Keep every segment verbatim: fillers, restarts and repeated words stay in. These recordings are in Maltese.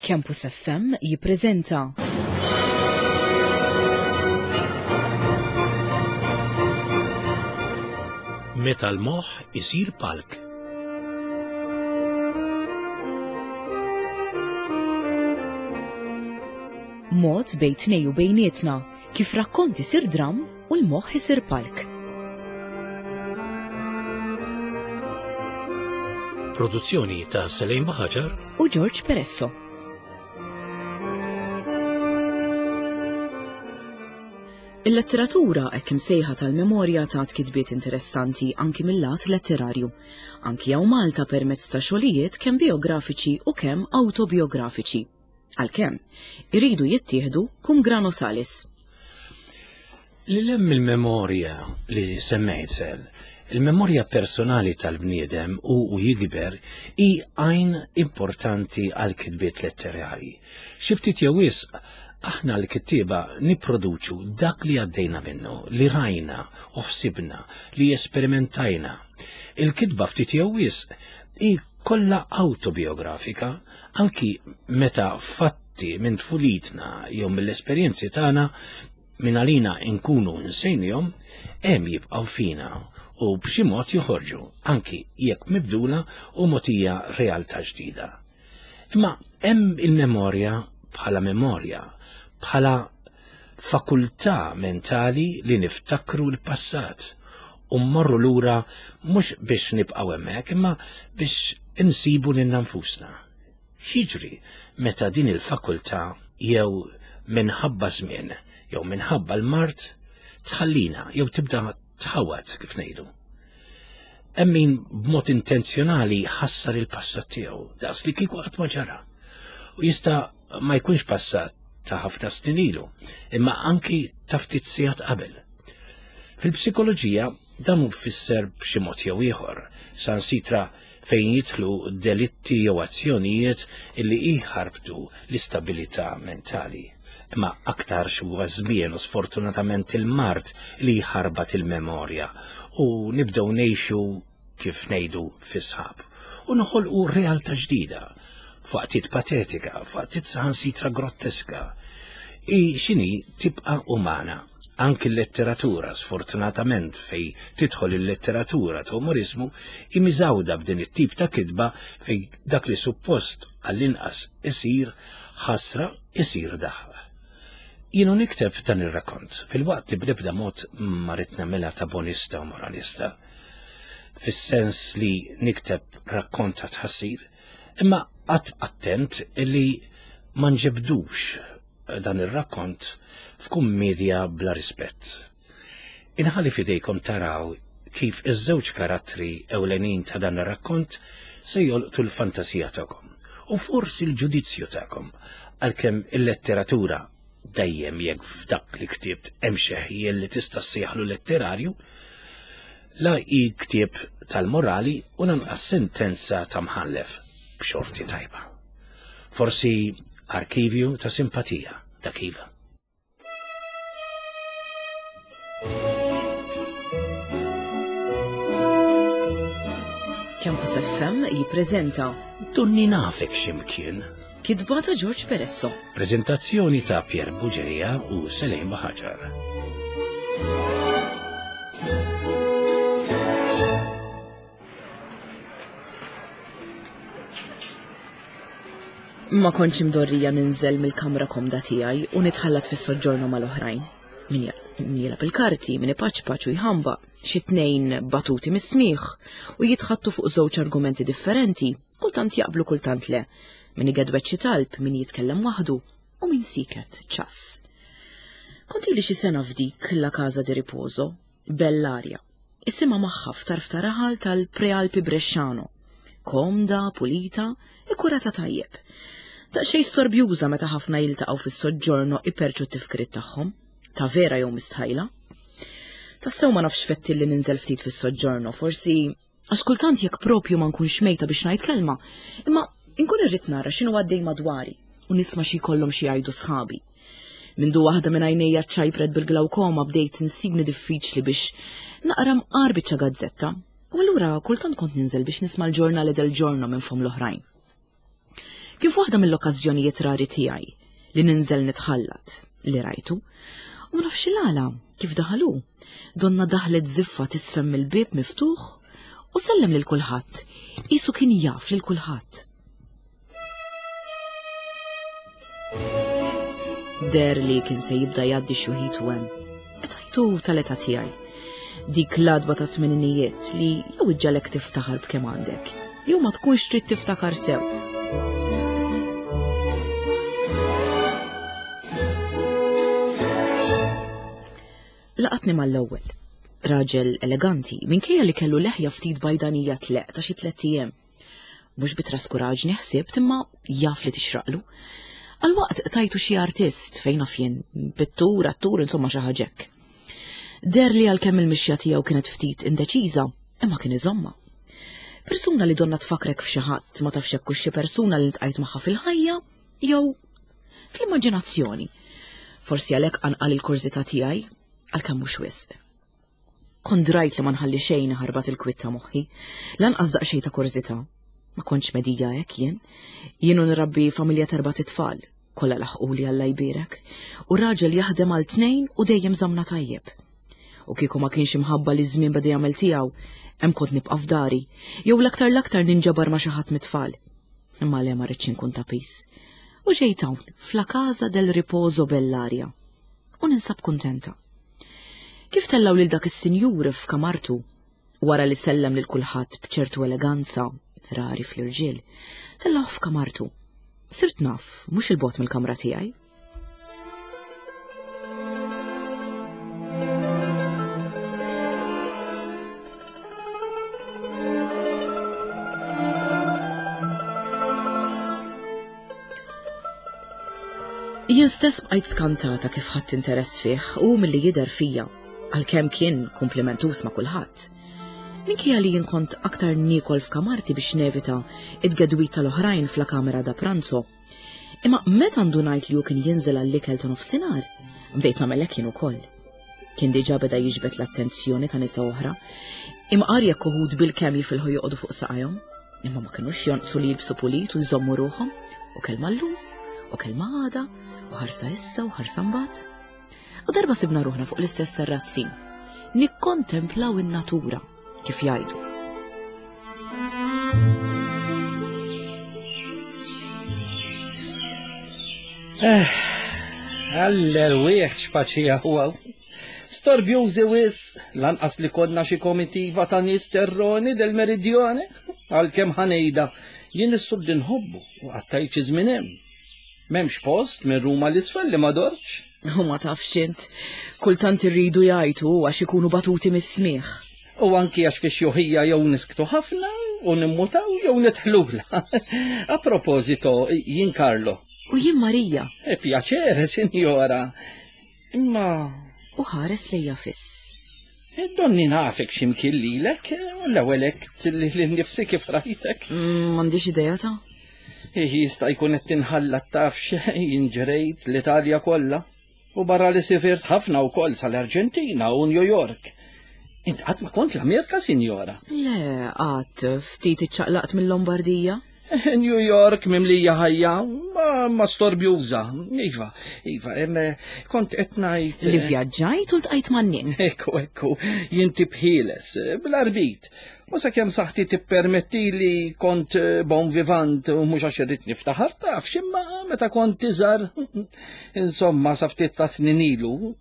Campus F M jippreżenta Meta l-moħħ isir palk. Mod bejn tnejn u bejnietna kif rakkont isir dram u l-moħħ isir palk. Produzzjoni ta' Selejn Baħaġar u George Peresso. Il-letteratura hekk imsejħa tal-memorja tat kitbiet interessanti anki mill-lat letterarju. Anki hawn Malta permezz ta' xogħlijiet kemm biografiċi u kemm autobiografiċi. Għalkemm, iridu jittieħdu cum grano salis. Li hemm il-memorja li semmejt sel, il-memorja personali tal-bniedem u u jikber hi għajn importanti għal kitbiet letterari. Xi ftit jew wisq aħna l-kittieba nipproduċu dak li għaddejna minnu, li rajna u ħsibna, li esperimentajna. Il-kitba ftit jew wisq hi kollha autobiografika, anki meta fatti minn tfulitna jew mill-esperjenzi tagħna minn għalina nkunu nsejnihom, hemm jibqgħu fina u b'xi mod joħorġu, anki jekk mibdula u mogħtija realtà ġdida. Imma hemm il-memorja bħala memorja, bħala fakultà mentali li niftakru l-passat u mmorru lura mhux biex nibqgħu hemmhekk imma biex insibu lilna nfusna. X'jiġri meta din il-fakultà jew minħabba żmien jew minħabba l-mard tħallina jew tibda tħawat kif ngħidu. Hemm min b'mod intenzjonali ħassar il-passat tiegħu daqs li kieku qatt ma ġara. U jista' ma jkunx passat ta' ħafna snin ilu, imma anki ta' ftit sigħat qabel. Fil-psikoloġija dan hu fisser b'xi mod jew ieħor, sansitra fejn jidħlu delitti jew azzjonijiet illi jħarbtu l-istabilità mentali. Imma aktar huwa żmien u sfortunatament il-mard li jħarbat il-memorja u nibdew ngħixu kif ngħidu fi sħab u noħolqu realtà ġdida, f'waqtiet patetika, f'waqtiet saħansitra grotteska. I xini tibqa' umana. Anki l-letteratura, sfortunatament fej tidħol il-letteratura ta' umorizmu, imiżawda b'din it-tip ta' kitba fej dak li suppost għall-inqas isir ħasra isir daħ. Jienu nikteb dan ir-rakkont fil-waqt li bl-ebda mod ma rrid nagħmilha ta' bonista u moralista, fis-sens li nikteb rakkont ta' tħassir, imma qatt attent li ma nġibdux dan ir-rakkont f'kummedja bla rispett. Inħalli fidejkom taraw kif iż-żewġ karattri ewlenin ta' dan ir-rakkont se jolqtu l-fantasija tagħkom u forsi l-ġudizzju tagħkom, għalkemm il-letteratura dejjem jekk f'dak li ktibt hemm xi ħjiel li tista' ssejjaħlu letterarju, la hi ktieb tal-morali u lanqas sentenza ta' mħallef b'xorti tajba. Forsi arkivju ta' simpatija dak iva. Campus F M jippreżenta Donni nafek x'imkien. Kitba ta' George Peresso. Prezentazzjoni ta' Pier Buġeja u Selejn Baħaġar. Ma kontx imdorrija ninżel mill-kamra komda tiegħi u nitħallat fis-soġġorno mal-oħrajn. Min jilgħab il-karti, min ipaċpaċ u jħamba, xi tnejn batuti mis-smigħ u jitħattu fuq żewġ argumenti differenti, kultant jaqblu kultant le. Min igedwet xi talb, min jitkellem waħdu u min siket ċass. Kont ili xi sena f'dik la Casa di Riposo, bell'aria. Isimha magħha f'tarf ta' raħal tal-Prealpi Bresciano. Komda, pulita, ikkurata tajjeb. Daqsxejn storbjuża meta ħafna jiltaqgħu fis-soġġorno iperċu t-tifkiriet tagħhom, ta' vera jew mistħajla. Tassew ma nafx fetti li ninżel ftit fis-soġġorno, forsi għax kultant jekk propju ma nkunx mejta biex ngħid kelma, imma nkun irrid nara x'inhu għaddej madwari u nisma' xi jkollhom xi jgħidu sħabi. Mindu waħda minn għajnejja ċajpret bil-glawkoma bdejt insibni diffiċli biex naqra mqar biċċa gazzetta. U allura kultant kont ninżel biex nisma' l-ġurnali del giorno minn fom l-oħrajn. Kif waħda mill-okkażjonijiet rari tiegħi li ninżel nitħallat li rajtu, u ma nafx il-għala kif daħalu. Donna daħlet ziffa tisfem mill-bieb miftuħ u sellem lil kulħadd, qisu kien jaf lil kulħadd. Der li kien se jibda jgħaddi xuħitu hemm. Etajtu tal-età tiegħi. Dik l-adba ta' tmeninijiet li jew iġġalek tiftaħar b'kemm għandek, jew ma tkunx trid tiftakar sew. Laqatni mal-ewwel. Raġel eleganti, minkejja li kellu leħja ftit bajdanija tleq ta' xi tlett ijiem. Mhux bi traskuraġni ħsibt imma jaf li tixraqlu. Għal-waqt tajtu xi artist fejn naf jien, pittur, attur, insomma xi ħaġa hekk. Der li għalkemm il-mixja tiegħu kienet ftit indeċiża, imma kien iżomma. Persuna li donna tfakrek f'xi ħadd ma tafx hekk xi persuna li ntqajt magħha fil-ħajja jew fl-immaġinazzjoni. Forsi għalhekk anqal il-kurżità tiegħi għalkemm mhux wisq. Kont drajt li ma nħalli xejn ħarbat il-kwitt ta' moħħi, lanqas daqsxejn ta' kurżità. Ma kontx medija hekk jien. Jien u nrabbi familja t'erbat itfal, kollha laħquli Alla jbierek, u raġel jaħdem għal tnejn u dejjem żamna tajjeb. U kieku ma kienx imħabba li żmien beda jagħmel tiegħu, hemm kont nibqa' f'dari, jew l-aktar l-aktar ninġabar ma' xi ħadd mit-tfal. Imma le ma rridx inkun ta' pis. U ġejt hawn, fla Casa del Riposo Bellaria. U ninsab kuntenta. Kif tellaw lil dak is-sinjur f'kamartu, wara li sellem lil kulħadd b'ċertu eleganza, rari fl-irġiel, tellaw f'kamartu. Sirt naf, mhux il-bogħod mill-kamra tiegħi. Jien stess bqajt skantata kif ħadd interess fih u milli jidher fija, għalkemm kien komplimentus ma' kulħadd. Minkejja li jien kont aktar niekol f'kamarti biex nevita id-gedwit tal-oħrajn fla kamera da pranzo. Imma meta ndunajt li hu kien jinżel għall-ikel ta' nofsinhar, bdejt nagħmel hekk jien ukoll. Kien diġà beda jiġbed l-attenzjoni ta' nisa oħra, imqar jekk uħud bil-kemm jifilħu joqogħdu fuq saqajhom, imma ma kinux jonqsu li jilbsu pulit u jżommu ruħhom, u kelma llum, u kelma għada, u ħarsa issa u ħarsa mbagħad. U darba sibna ruħna fuq l-istess terrazzin, nikkontemplaw in-natura, kif jgħidu. Eh, għall-erwieħ x'paċija huwa. Storbjużi wis, lanqas li konna xi komitiva ta' nies terroni del Meridione, għalkemm ħanejda, jien is-sud inħobbu u qattajt xi żmien hemm. M'hemmx post minn Ruma l-isfel li ma dortx. U ma tafx int, kultant irridu jgħidu għax ikunu batuti mis-smigħ. U anki għax fi xjuħija jew nisktu ħafna u nimmutaw jew nitħlula. A proposito, jien Carlo. U jien Marija. E piacere, signora. Imma U ħares lejja fiss. E donni nafek x'imkien lilek, u l-ewwel hekk li nnifsi kif rajtek. Mm, M'għandix idea ta' Jista' jkun qed tinħallat tafx jien ġrejt l-Italja kollha u barra li sifirt ħafna wkoll sal-Arġentina u New York. Int qatt ma kont l-Amerika, sinjora? Le, qatt ftit iċċaqlaqt mill-Lombardija. New York mimlija ħajja, ma, ma storbjuża. Iva, iva, em, kont qed ngħid. Li vjaġġajt u ltqajt man-nies. Ekku, ekku, jien tibħieles, bl-arbit. U sakemm saħħti tippermetti li kont bon vivant u mhux għax irrid niftaħar tafx, imma meta kont iżgħar, insomma, sa ftit ta' snin ilu,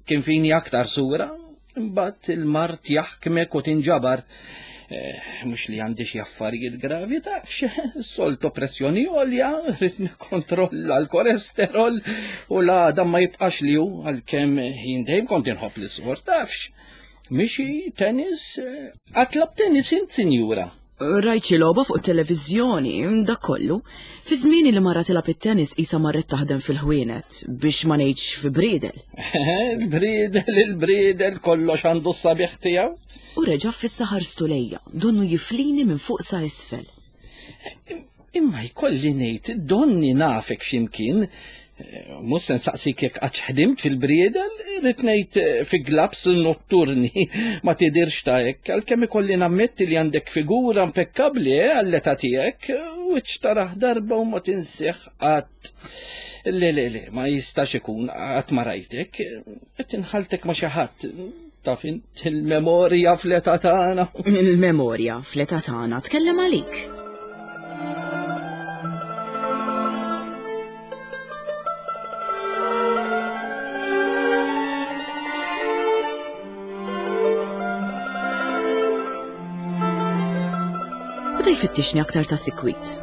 kien fini aktar sura, imbagħad il-mard jaħkmek u tinġabar. Eh, mhux li għandi xi affarijiet gravi tafx, soltu pressjoni għolja, rrid nikkontrolla l-kolesterol u l-għadam ma jibqax li hu għalkemm jien dejjem kont inħobb l-isport tafx. Mixi, tennis, qatt lgħabt tennis int, sinjura? Rajt xi logħba fuq televiżjoni, dak kollu. Fi żmieni li mara tilgħab it-tennis qisha marret taħdem fil-ħwienet biex ma ngħidx fi briedel. Il-briedel, il-briedel, kollox għandu s-sabiħ tiegħu. U reġa' fissa ħarstu lejja, donnu jiflini minn fuq sa isfel. Imma jkolli ngħid, donni nafek x'imkien. Mhux se nsaqsik jekk qatt ħdimt fil-briedel, irrid ngħid fi glabs notturni ma tidirx ta' hekk, għalkemm ikolli nammetti li għandek figura impekkabbli eh, għall-età tiegħek, Wiċċ taraħ darba u ma tinsieħ qatt. Le, le, le, ma jistax ikun qatt ma rajtek. Qed inħaltek ma' xi ħadd. Taf int il-memorja fl-età tagħna. Il-memorja fl-età tagħna tkellem għalik. Beda jfittixni aktar ta' sikwit.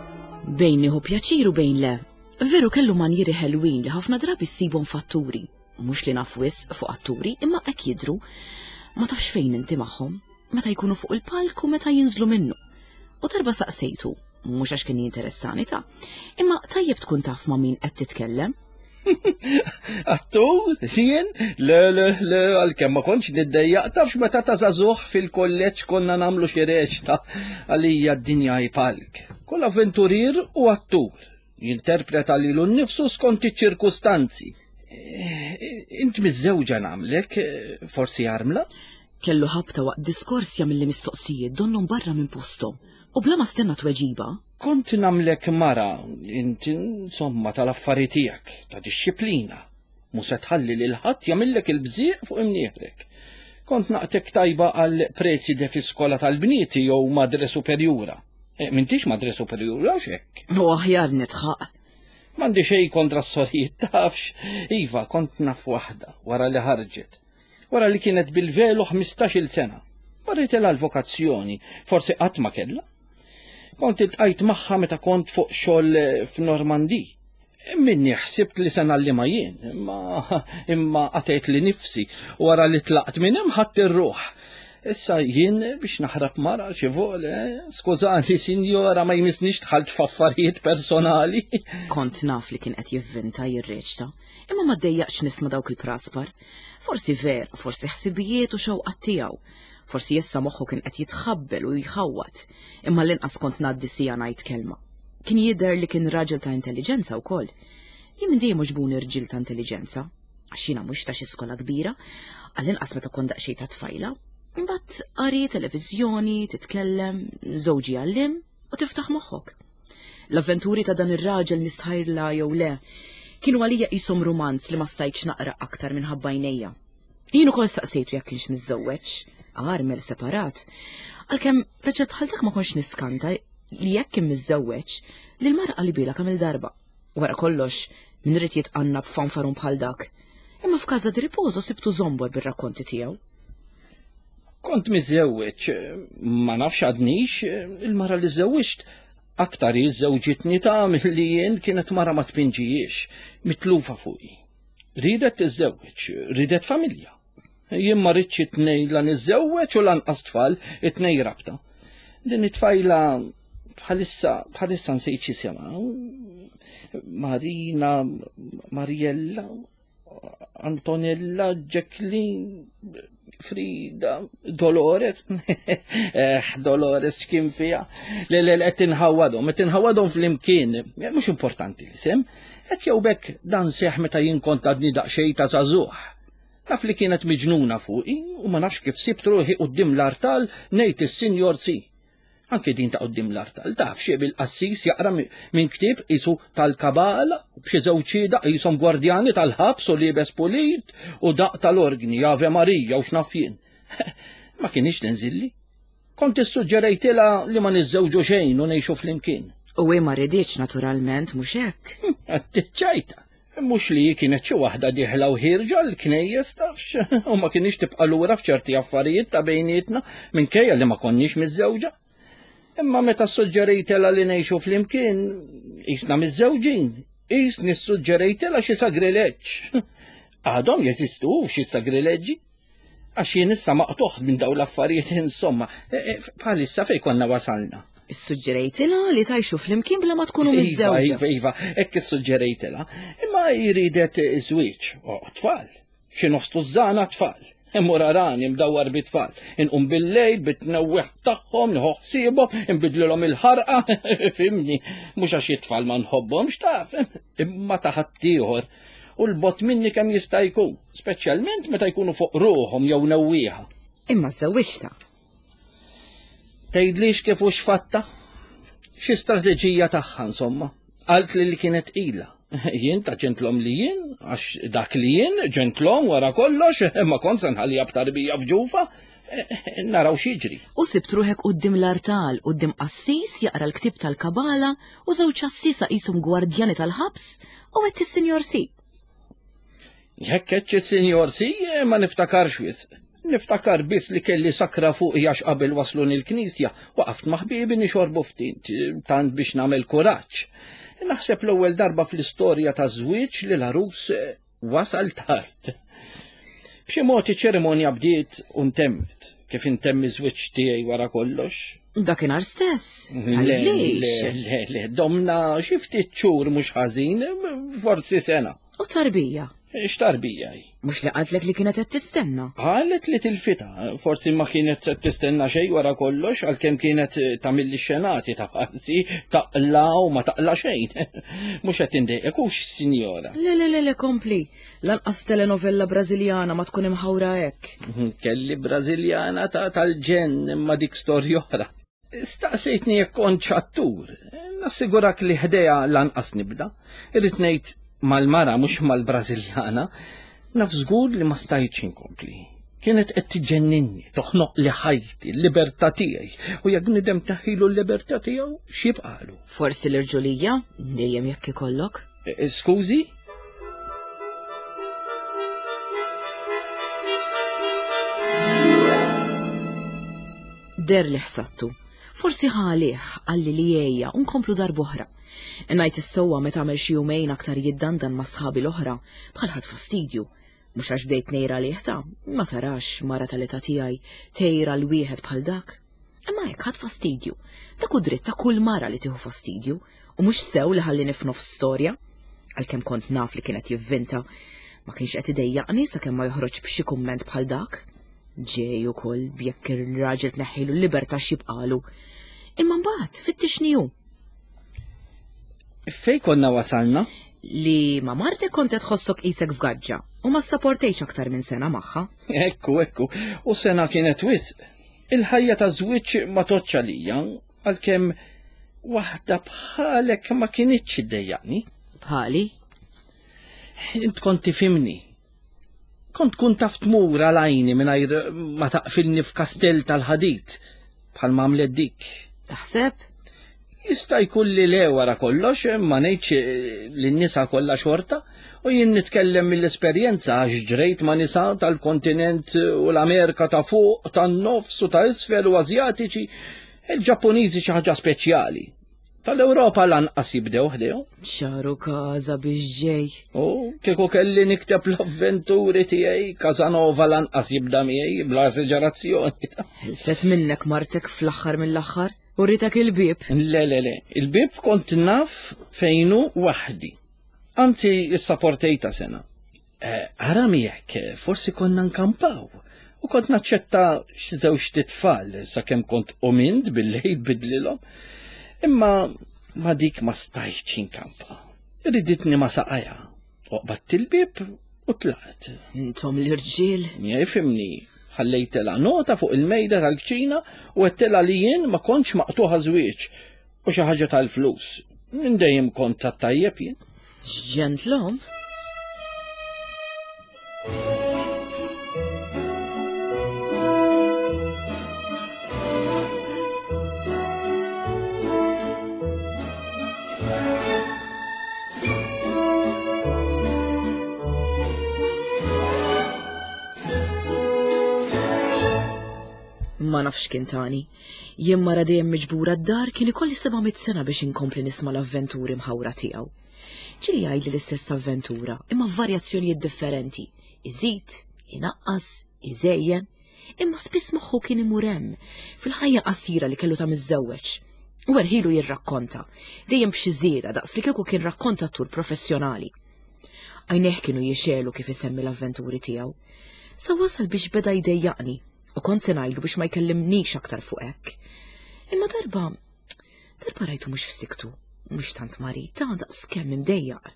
Bejn nieħu pjaċir u bejn le. Veru kellu manjieri ħelwin li ħafna drabi ssibhom fatturi. Mhux li naf wisq fuq atturi, imma hekk jidhru. Ma tafx fejn inti magħhom, meta jkunu fuq il-palk u meta jinżlu minnu. U darba saqsejtu, mhux għax kien jinteressani ta' imma tajjeb tkun taf ma' min qed titkellem. Attur, jien? Le, le, le, għalkemm ma kontx niddejjaq, tafx meta ta' żagħżugħ fil-kolleġġ konna nagħmlu xi reċta għalija d-dinja hi palk. Kull avventurier u attur jinterpreta lilu nnifsu skont iċ-ċirkustanzi. Int miżżewġa nagħmlek, forsi armla? Kellu ħabta waqt diskors jagħmilli mistoqsijiet donnhom barra minn posthom. U bla ma stenna tweġiba. Kont nagħmlek mara, inti insomma tal-affari tiegħek, ta' dixxiplina. Mhu se tħalli lil ħadd jagħmillek il-bżieq fuq imnieħrek. Kont naqtek tajba għal preside fi skola tal-bnieti jew madre superjura. E, m'intix madre superjura x'hekk. U aħjar nitħaq. M'għandi xejn kontra s-sorijiet, tafx. Iva, kont naf waħda wara li ħarġet. Wara li kienet bil-velu ħmistax-il sena. Marritilha l-vokazzjoni, forsi qatt ma kellha. Kont iltqajt magħha meta kont fuq xogħol f'Normandi. Minni ħsibt li se ngħallimha jien, imma imma qatgħet li nifsi wara li tlaqt minn hemm ħadd ir-ruħ. Issa jien biex naħrab mara xi vole, skużani sinjora ma jmissnix dħalt f'affarijiet personali. Kont naf li kien qed jivvinta jirreċta, imma ma ddejjaqx nisma' dawk il-praspar. Forsi ver, forsi ħsibijiet u xewqat tiegħu. Forsi issa moħħu kien qed jitħabbel u jħawwat, imma l-inqas kont ngħaddi sija ngħid kelma. Kien jidher li kien raġel ta' intelliġenza wkoll. Jien minn dejjem għoġbuni rġiel ta' intelliġenza, għax jiena mhux ta' xi skola kbira, għall-inqas meta kont daqsxejn ta' tfajla. Imbagħad qari, televiżjoni, titkellem, żewġi għallim u tiftaħ moħħok. L-avventuri ta' dan ir-raġel nistħajrla jew le, kienu għalija qishom romanz li ma stajtx naqra aktar minħabba għajnejja. Jien ukoll saqsejtu jekk kienx miżżewweġ, armel separat, għalkemm raġel bħal dak ma kontx niskanta li jekk kien miżżewweġ li l-mara qalibila kemm il-darba. Wara kollox, min irid jitqanna b'fanfarun bħal dak. Imma f'Casa di Riposo sibtu żombor bir-rakkonti tiegħu. Kont miżżewweġ, ma nafx għadnix, il-mara li żewwiġt aktar iżżewġitni ta' milli jien kienet mara ma tpinġijiex, mitlufa fuqi. Ridet tiżżewweġ, ridet familja. Jien ma rridx it-tnejn la niżżewweġ u lanqas tfal, it-tnejn rabta. Din it-tfajla bħalissa bħalissa nsejt x'isimha. Marina, Mariella, Antonella, Jacqueline, Frida, Dolores. Eh, Dolores x'kien fiha. Le, le, qed tinħawadhom, qed tinħawadhom flimkien. Mhux importanti l-isem. Hekk jew bekk dan seħ meta jien kont għadni daqsxejn ta' żagħżugħ. Naf li kienet miġnuna fuqi u ma nafx kif sibt ruħi quddiem l-artal ngħid is-Sinjor Si. Anke din ta' quddiem l-artal, taf xi bil-qassis jaqra minn ktieb qisu tal-kabala, b'xi żewġ xhieda qishom gwardjani tal-ħabs u liebes pulit u daq tal-orgni, Ave Marija u x'naf jien. Ma kienx tinżilli. Kont issuġġerejtilha li ma niżżewġu xejn u ngħixu flimkien. U hi ma ridietx naturalment, mhux hekk? Tiċċajta. Mhux li kienet xi waħda dieħla u ħierġa l-knejjes tafx, u ma kienx tibqa' lura f'ċerti affarijiet ta' bejnietna minkejja li ma konniex miżżewġa. Imma meta suġġerejtilha li ngħixu flimkien, qisna miżżewġin, qisni ssuġġerejtilha xi sagrileġġ. Għadhom jeżistu xi sagrileġġi? Għax jien issa maqtuħ minn dawn l-affarijiet insomma, bħalissa fejn konna wasalna. Issuġġerejtilha li tgħixu flimkien bla ma tkunu miżżewġa. Iva, iva, hekk issuġġerejtilha. Imma jridet żwieġ, o tfal, xi nofs tużżana tfal. Immur arani mdawwar bit-tfal, inqum bil-lejl bit-tnewweħ tagħhom, nieħu ħsiebhom, inbidlilhom il-ħarqa, fimni, mhux għax it-tfal ma nħobbhomx taf, imma ta' ħaddieħor. U l-bot minni kemm jista' jkun, speċjalment meta jkunu fuq ruħhom jew newwieħa. Imma żewwiġtha. Tgħidlix kif hux fatta? Xi strateġija tagħha insomma. Qalt li li kienet tqila. Jien ta' ġentlom li jien, għax dak li jien ġentlom wara kollox, ma kont se nħallija b'tarbija f'ġufa, naraw x'jiġri. U sibt ruħek quddiem l-artal, quddiem qassis jaqra l-ktieb tal-Kabala u żewġ qassisa qishom gwardjani tal-ħabs u għedt is-Sinjor Si. Jekk għedtx is-Sinjor Si, ma niftakarx wisq. Niftakar biss li kelli sakra fuq għax qabel wasluni l-knisja, waqaft ma' ħbiebi nixorbu ftit, tant biex nagħmel kuraġġ. Naħseb l-ewwel darba fl-istorja ta' żwieġ li l-għarus wasal tard. B'xi mod iċ-ċerimonja bdiet u ntemmet, kif intemmi żwieġ tiegħi wara kollox. Dakinhar stess. Le, le, le, le, domna xi ftit xhur mhux ħażin, forsi sena. U tarbija? X'tarbija hi? Mhux li qaltlek li kienet qed tistenna. Qalet li tilfita, forsi ma kienet qed tistenna xejn wara kollox, għalkemm kienet tagħmilli xenati ta' parsi, taqla u ma taqla xejn. Mhux qed indejqek hux, sinjora. Le, le, le, le, kompli. Lanqas telenovella Brażiljana ma tkun imħawra hekk. Kelli Brażiljana ta' tal-ġenn imma dik storja oħra. Staqsejtni jekk kontx attur. Nassigurak li ħdejha lanqas nibda. Irrid ngħid mal-mara mhux mal-Brażiljana, naf żgur li ma stajtx inkompli. Kienet qed tiġenninni, toħnoq li ħajti, l-libertà tiegħi, u jekk nidem taħilu l-libertà tiegħu, x'jibqalu? Forsi l-irġulija, dejjem jekk ikollok. Skużi? Der li ħsattu. Forsi ħalih qalli li ejja u nkomplu darb'oħra. Ngħid is-sewwa meta għamel xi jumejn aktar jiddandan ma' sħabi l-oħra, bħal ħadd fastidju. Mhux għax bdejt ngħir għalih ta', ma tarax mara tal-età tiegħi tgħir għal wieħed bħal dak. Imma hekk ħadd fastidju. Dak hu dritt ta' kull mara li tieħu fastidju, u mhux sew li ħallini f'nofs storja. Għalkemm kont naf li kienet jivvinta, ma kienx qed idejjaqni sakemm ma joħroġ b'xi kumment bħal dak. Ġej ukoll jekk ir-raġel tneħħilu l-libertà x'jibqalu. Imma mbagħad fittixni hu. Fej konna wasalna? Li ma martek kont qed tħossok qisek f'gaġġa u ma ssaportejx aktar minn sena magħha. Ekku, ekku, u sena kienet wisq. Il-ħajja ta' żwieġ ma tgħoddx għalija, għalkemm waħda bħalek ma kinitx iddejjaqni. Bħali? Int kont tifhimni. Kont tkun taf tmur għal għajni mingħajr ma taqfilni f'kastell tal-ħadid bħal ma għamlet dik. Taħseb? Jista' jkun li le wara kollox, ma ngħidx li n-nisa kollha xorta, u jien nitkellem mill-esperjenza għax ġrejt ma' nisa tal-kontinent u l-Amerika ta' fuq, tan-nofs u ta' isfel u Asjatiċi, il-Ġappuniżi xi ħaġa speċjali. Tal-Ewropa lanqas jibdew ħdejhom. Xaru każa biex ġej. U kieku kelli nikteb l-avventuri tiegħi, Casanova lanqas jibda miegħi bla esaġerazzjoni. Ħelset minnek martek fl-aħħar mill-aħħar? U ritak il-bib? Le, le, le, il-bib kont naf fejnu waħdi. Anzi, issaportejta sena. Ara miegħek, forsi konna nkampaw. U kont naċċetta xi żewġ titfal sakemm kont umint bil-lejl bidlilhom. Imma ma dik ma stajtx inkampa. Riditni ma saqajja. Oqbadt il-bib u tlaqt. Intom l-irġiel? Jifhimni. Ħallejtelha nota fuq il-mejda tal-kċina u għedtilha li jien ma kontx maqtuħa żwieġ u xi ħaġa tal-flus. Minn dejjem kont tat-tajjeb jien. Ġentlom? Ma nafx kien tani. Jien mara dejjem miġbura d-dar kien ikolli seba' mitt sena biex inkompli nisma' l-avventuri mħawra tiegħu. Ġieli jgħidli l-istess avventura, imma f'varjazzjonijiet differenti. Iżid, inaqqas, iżejjen, imma spiss moħħu kien imur hemm, fil-ħajja qasira li kellu ta' miżżewweġ. U erħilu jirrakkonta, dejjem b'xi żieda daqs li kieku kien rakkontatur professjonali. Għajnejh kienu jixelu kif isemmi l-avventuri tiegħu. Sa wasal biex beda jdejjaqni. U kont se ngħidlu biex ma jkellimnix aktar fuq hekk. Imma darba, darba rajtu mhux f'siktu, mhux tant marid, ta' daqs kemm imdejjaq.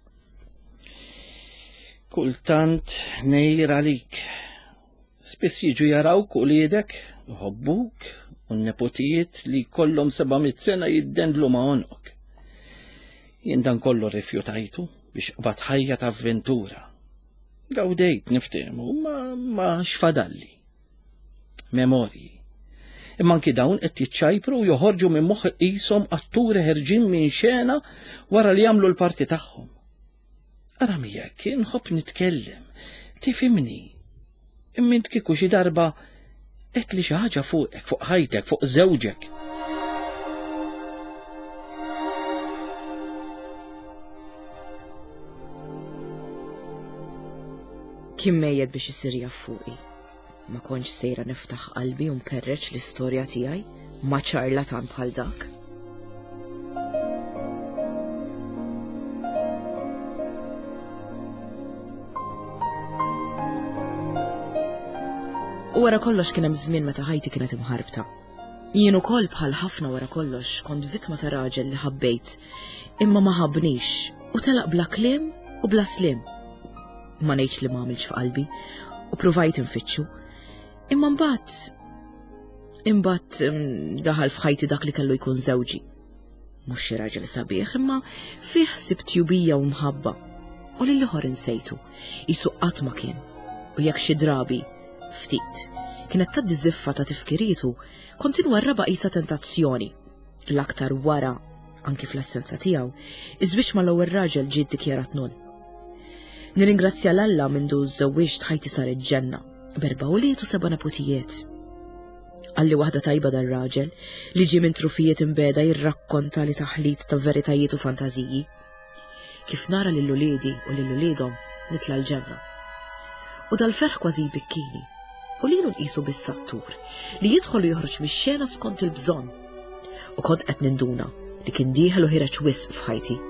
Kultant ngħir għalik. Spiss jiġu jarawk uliedek, iħobbuk, U n-nepotijiet li kollhom seba' mitt sena jiddendlu ma' għonqok. Jien dan kollu rrifjutajtu biex qbad ħajja ta' avventura. Gawdejt niftehmu, ma, ma xfadalli. Memorji. Imma anki dawn qed jiċċajpru u joħorġu minn moħħ qishom atturi ħerġin minn xena wara li jagħmlu l-parti tagħhom. Ara miegħek, inħobb nitkellem, tifhimni. Imma int kieku xi darba qed li xi ħaġa fuqek, fuq ħajtek, fuq żewġek. Kien mejjed biex isir jaf fuqi. Ma kontx sejra niftaħ qalbi u nperreċ l-istorja tiegħi ma' ċarlatan bħal dak. U wara kollox kien hemm żmien meta ħajti kienet imħarbta. Jien ukoll bħal ħafna wara kollox kont vittma ta' raġel li ħabbejt, imma ma ħabbnix u telaq bla kliem u bla slim. Ma ngħidx li ma għamilx f'qalbi u provajt infittxu. Imma mbagħad imbagħad mm, daħal f'ħajti dak li kellu jkun żewġi. Mhux xi raġel sabiħ, imma fih ħsieb tjubija u mħabba. U lil ieħor insejtu, qisu qatt ma kien. U jekk xi drabi, ftit, kienet tgħaddi żiffa ta' tifkirietu, kont inwarrabha qisha tentazzjoni. L-aktar wara, anki fl-assenza tiegħu, iż-żwieġ mal-ewwel raġel ġie ddikjarat null. Nirringrazzja l-Alla mindu żewwiġt ħajti saret ġenna, b'erba' ulied u seba' nepotijiet. Għalli waħda tajba dar-raġel li ġie minn trufijiet imbeda jirrakkonta li taħlit ta' veritajiet u fantażiji. Kif nara lil uliedi u lil uliedhom nitla' l-ġenna. U dal-ferħ kważi jbikkini. U lilu nqisu bis-sattur li jidħol u joħroġ mix-xena skont il-bżonn. U kont qed ninduna li kien dieħel u ħireġ wisq f'ħajti.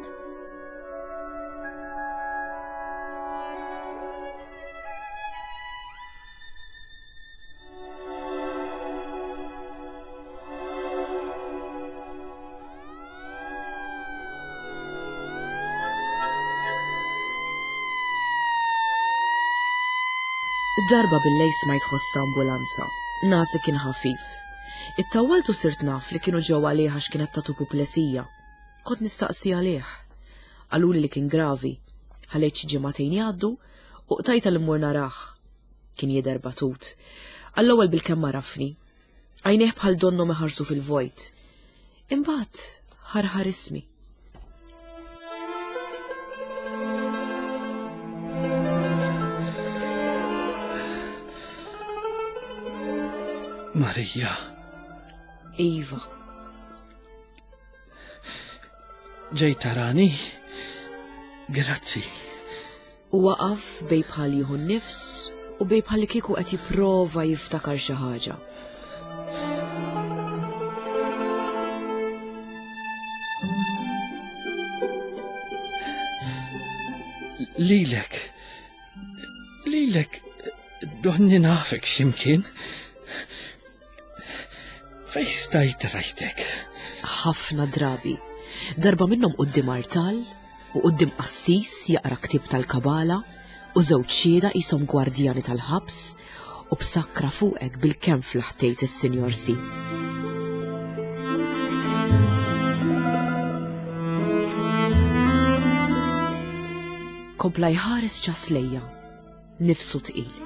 Darba bil-lejl smajt ħoss ta' ambulanza. Nasi kien ħafif. Ittawwaltu sirt naf li kienu ġew għalih għax kienet tatu puplesija. Kont nistaqsi għalih. Qaluli li kien gravi. Ħallejt xi ġimagħtejn jgħaddu u qtajta li mmur narah. Kien jidher batut. Għall-ewwel bil-kemm għarafni. Għajnejh bħal donhom iħarsu fil-vojt. Imbagħad ħarħar ismi. Marija. Iva. Ġej tarani? Grazzi. U waqaf bej bħal jieħu n-nifs u bej bħal li kieku qed jipprova jiftakar xi ħaġa. Lilek. Lilek, donni nafek x'imkien. Fej stajt rajtek? Ħafna drabi. Darba minnhom quddiem artal u quddiem qassis jaqra ktieb tal-kabala u żewġ xhieda qishom gwardjani tal-ħabs u b'sakra fuqek bil-kemm flaħtejt is-Sinjor Si. Kompla jħares ċaslejja, nifsu tqil.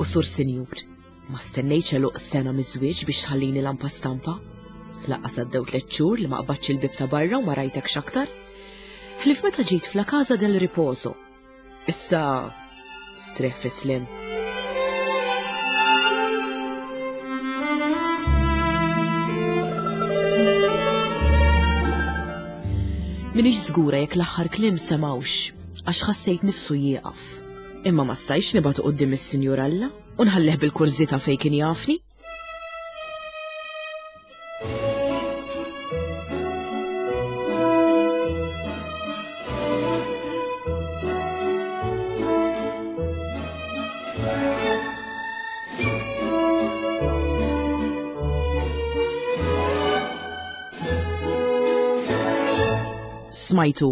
U sur Sinjur, ma stennejtx għeluq sena miż-żwieġ biex tħallini lampa stampa. Laqqas għaddew tliet xhur li ma qbadx il-bib ta' barra u ma rajtekx aktar. Ħlief meta ġejt fla Casa del Riposo. Issa strieħ fis-slim. Minix żgura jekk l-aħħar kliem semawx, għax ħassejt nifsu jieqaf. Imma ma stajtx nibgħatu quddiem is-Sinjur Alla u nħallih bil-kurżità fejn kien jafni. Smajtu.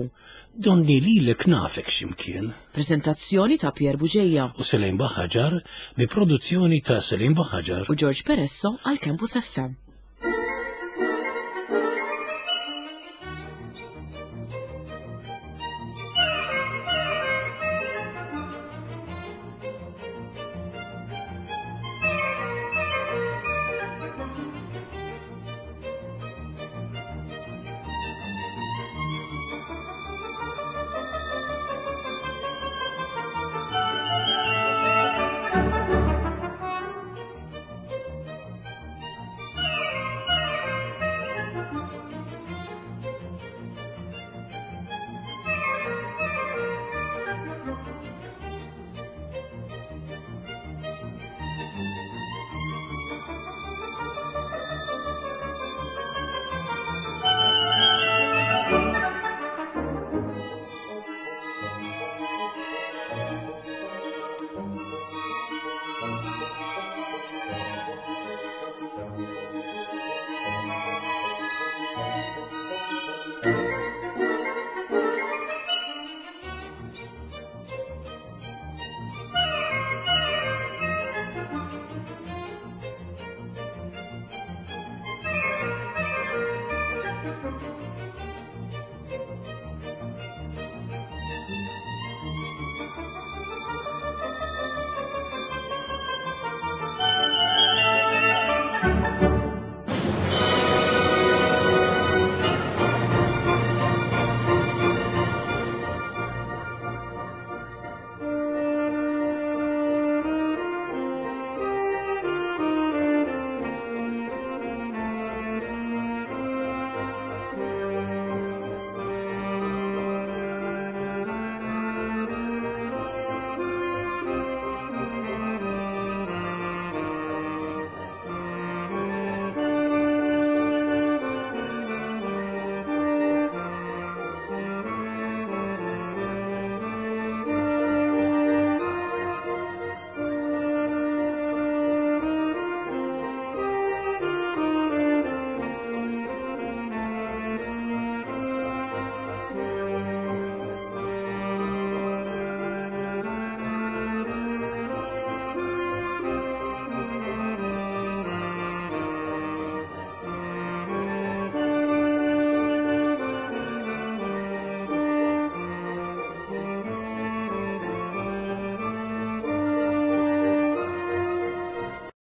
Donni lilek nafek x'imkien. Prezentazzjoni ta' Pier Bugeja U Selim Buhagiar bi produzzjoni ta' Selim Buhagiar u George Peresso għal Campus F M.